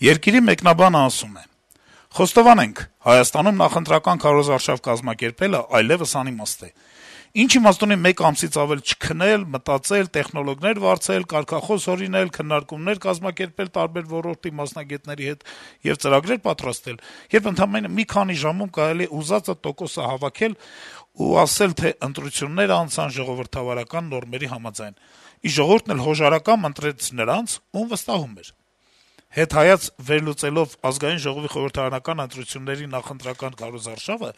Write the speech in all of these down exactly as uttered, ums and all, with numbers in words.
Երկիրի մեկնաբանը ասում է. - «Խոստովանենք, Հայաստանում նախընտրական քարոզարշավ կազմակերպելը այլեւս անիմաստ է: Ինչ իմաստ ունի մեկ ամսից ավել չքնել, մտածել, տեխնոլոգներ վարձել, կարգախոս հորինել, քննարկումներ կազմակերպել տարբեր ոլորտի մասնագետների հետ եւ ծրագրեր պատրաստել, երբ ընդամենը մի քանի ժամում կարելի է ուզածը տոկոսը հավաքել ու ասել, թե ընտրությունները անցան ժողովրդավարական նորմերի համաձայն, իսկ ժողովուրդն էլ հոժարակամ ընտրեց նրանց, ում վստահում էր: Հետհայաց վերլուծելով Ազգային ժողովի խորհրդարանական ընտրությունների նախընտրական քարոզարշավը,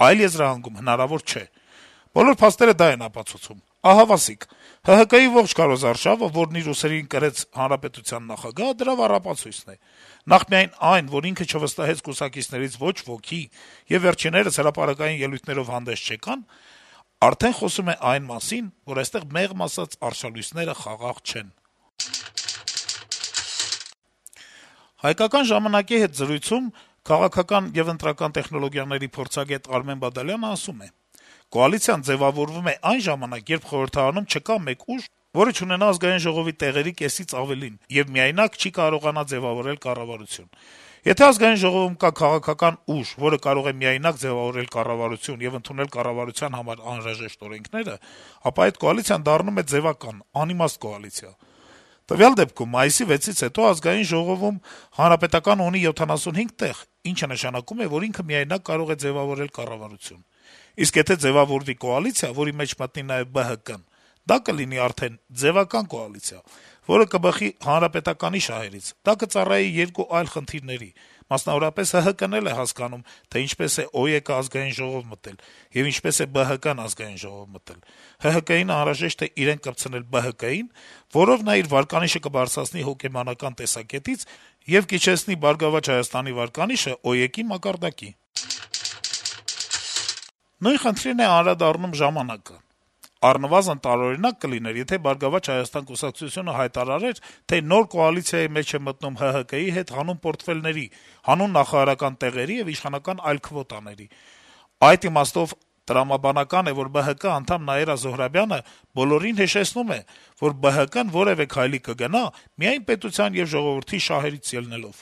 այլ եզրահանգում հնարավոր չէ: Բոլոր փաստերը դա են ապացուցում: Ահավասիկ. ՀՀԿ-ի ողջ քարոզարշավը, որն իր ուսերին կրեց հանրապետության նախագահը, դրա առապացույցն է: Նախ միայն այն, որ ինքը չվստահեց կուսակիցներից ոչ ոքի եւ վերջիններս հրապարակային ելույթներով հանդես չեկան, արդեն խոսում է այն մասին, որ այստեղ մեղմ ասած արշալույսները խաղաղ չեն»: «Հայկական ժամանակ»-ի հետ զրույցում քաղաքական եւ ընտրական տեխնոլոգիաների փորձագետ Արմեն Բադալյանը ասում է. - «Կոալիցիան ձեւավորվում է այն ժամանակ, երբ խորհրդարանում չկա մեկ ուժ, որը չունենա Ազգային ժողովի տեղերի կեսից ավելին եւ միայնակ չի կարողանա ձեւավորել կառավարություն: Եթե Ազգային ժողովում կա քաղաքական ուժ, որը կարող է միայնակ ձեւավորել կառավարություն եւ ընդունել կառավարության համար անհրաժեշտ օրենքները, ապա այդ կոալիցիան դառնում է ձեւական, անիմաստ կոալիցիա: Տվյալ դեպքում մայիսի վեցից հետո Ազգային ժողովում Հանրապետականը ունի յոթանասունհինգ տեղ, ինչը նշանակում է, որ ինքը միայնակ կարող է ձեւավորել կառավարություն: Իսկ եթե ձեւավորվի կոալիցիա, որի մեջ մտնի նաեւ ԲՀԿ-ն, դա կլինի արդեն ձեւական կոալիցիա, որը կբխի Հանրապետականի շահերից: Դա կծառայի երկու այլ խնդիրների: Մասնավորապես, ՀՀԿ-ն էլ է հասկանում, թե ինչպես է ՕԵԿ-ը Ազգային ժողով մտել եւ ինչպես է ԲՀԿ-ն Ազգային ժողով մտել: ՀՀԿ-ին անհրաժեշտ է իրեն կպցնել ԲՀԿ-ին, որով նա իր վարկանիշը կբարձրացնի հոգեբանական տեսակետից եւ կիջեցնի «Բարգավաճ Հայաստանի» վարկանիշը ՕԵԿ-ի մակարդակի»: Նույն խնդրին է անդրադառնում «Ժամանակ»-ը. - «Առնվազն տարօրինակ կլիներ, եթե «Բարգավաճ Հայաստան» կուսակցությունը հայտարարեր, թե նոր կոալիցիայի մեջ է մտնում ՀՀԿ-ի հետ հանուն պորտֆելների, հանուն նախարարական տեղերի եւ իշխանական այլ քվոտաների: Այդ իմաստով տրամաբանական է, որ ԲՀԿ անդամ Նաիրա Զոհրաբյանը բոլորին հիշեցնում է, որ ԲՀԿ-ն որեւէ քայլի կգնա միայն պետության եւ ժողովրդի շահերից ելնելով: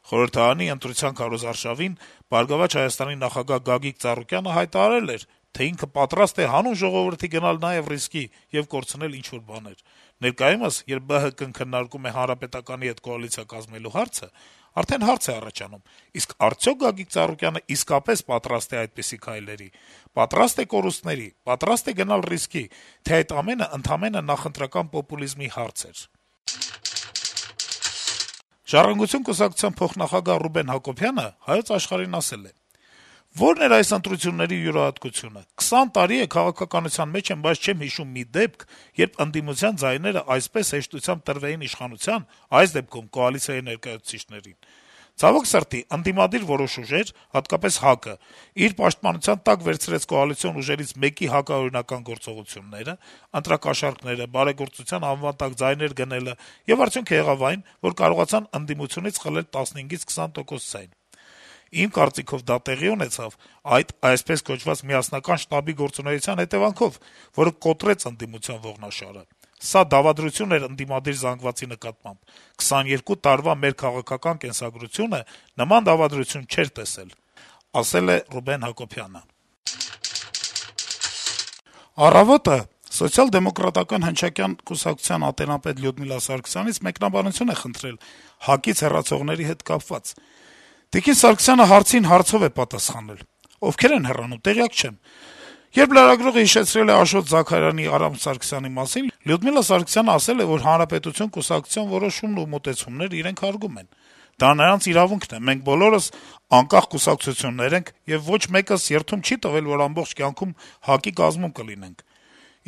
Խորհրդարանի ընտրության քարոզարշավին «Բարգավաճ Հայաստան»-ի նախագահ Գագիկ Ծառուկյանը հայտարարել էր, թե ինքը պատրաստ է հանուն ժողովրդի գնալ նաեւ ռիսկի եւ կորցնել ինչ-որ բաներ: Ներկայումս, երբ ԲՀԿ-ն քննարկում է Հանրապետականի հետ կոալիցիա կազմելու հարցը, արդեն հարց է առաջանում` իսկ արդյոք Գագիկ Ծառուկյանը իսկապես պատրաստ է այդպիսի քայլերի, պատրաստ է կորուստների, պատրաստ է գնալ ռիսկի, թե այդ ամենը ընդամենը նախընտրական պոպուլիզմի հարց էր»: «Ժառանգություն» կուսակցության փոխնախագահ Ռուբեն Հակոբյանը «Հայոց Աշխարհ»-ին ասել է. - «Ո՞րն էր այս ընտրությունների յուրահատկությունը: քսան տարի է քաղաքականության մեջ եմ, բայց չեմ հիշում մի դեպք, երբ ընդդիմության ձայները այսպես հեշտությամբ տրվեին իշխանության, այս դեպքում կոալիցիայի ներկայացուցիչներին: Ցավոք սրտի, ընդդիմադիր որոշ ուժեր, հատկապես ՀԱԿ-ը, իր պաշտպանության տակ վերցրեց կոալիցիոն ուժերից մեկի հակաօրինական գործողությունները, ընտրակաշառքները, բարեգործության անվան տակ ձայներ գնելը, եւ արդյունքը եղավ այն, որ կարողացան ընդդիմությունից խլել տասնհինգից քսան տոկոս ձայն: Իմ կարծիքով դա տեղի ունեցավ այդ այսպես կոչված միասնական շտաբի գործունեության հետեւանքով, որը կոտրեց ընդդիմության ողնաշարը: Սա դավադրություն էր ընդդիմադիր զանգվածի նկատմամբ: քսաներկու տարվա մեր քաղաքական կենսագրությունը նման դավադրություն չէր տեսել»: «Առավոտ»-ը Սոցիալ-դեմոկրատական հնչակյան կուսակցության ատենապետ Լյուդմիլա Սարգսյանից մեկնաբանություն է խնդրել ՀԱԿ-ից հեռացողների հետ կապված: Տիկին Սարգսյանը հարցին հարցով է պատասխանել. - «Ովքեր են հեռանում, տեղյակ չեմ»: Երբ լրագրողը հիշեցրել է Աշոտ Զաքարյանի, Արամ Սարգսյանի մասին, Լյուդմիլա Սարգսյանը ասել է, որ «Հանրապետություն» կուսակցության որոշումն ու մոտեցումներն իրենք հարգում են: Դա նրանց իրավունքն է: Մենք բոլորս անկախ կուսակցություններ ենք, եւ ոչ մեկս երդում չի տվել, որ ամբողջ կյանքում ՀԱԿ-ի կազմում կլինենք: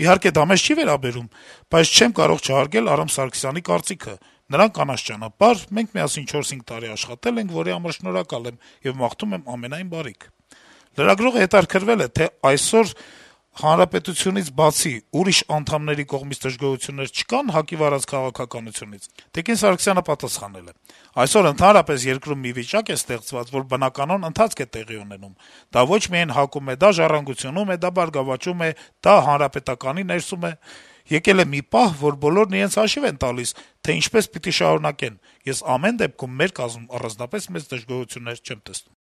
Իհարկե, դա մեզ չի վերաբերում, բայց չեմ կարող չհարգել Արամ Սարգսյանի կարծիքը: Նրան կանաչ ճանապարհ, մենք միասին չորս-հինգ տարի աշխատել ենք, որի համար շնորհակալ եմ եւ մաղթում եմ ամենայն բարիք»: Լրագրողը հետաքրքրվել է, թե այսօր Հանրապետությունից բացի ուրիշ անդամների կողմից դժգոհություններ չկա՞ն ՀԱԿ-ի վարած քաղաքականությունից: Տիկին Սարգսյանը պատասխանել է. - «Այսօր ընդհանրապես երկրում մի վիճակ է ստեղծված, որ բնականոն ընթացք է տեղի ունենում: Դա ոչ միայն ՀԱԿ-ում է, դա «Ժառանգությունում» է, դա «Բարգավաճում» է, դա Հանրապետականի ներսում է: Եկել է մի պահ, որ բոլորն իրենց հաշիվ են տալիս, թե ինչպես պիտի շարունակեն: Ես ամեն դեպքում մեր կազմում առանձնապես մեծ դժգոհություններ չեմ տեսնում»: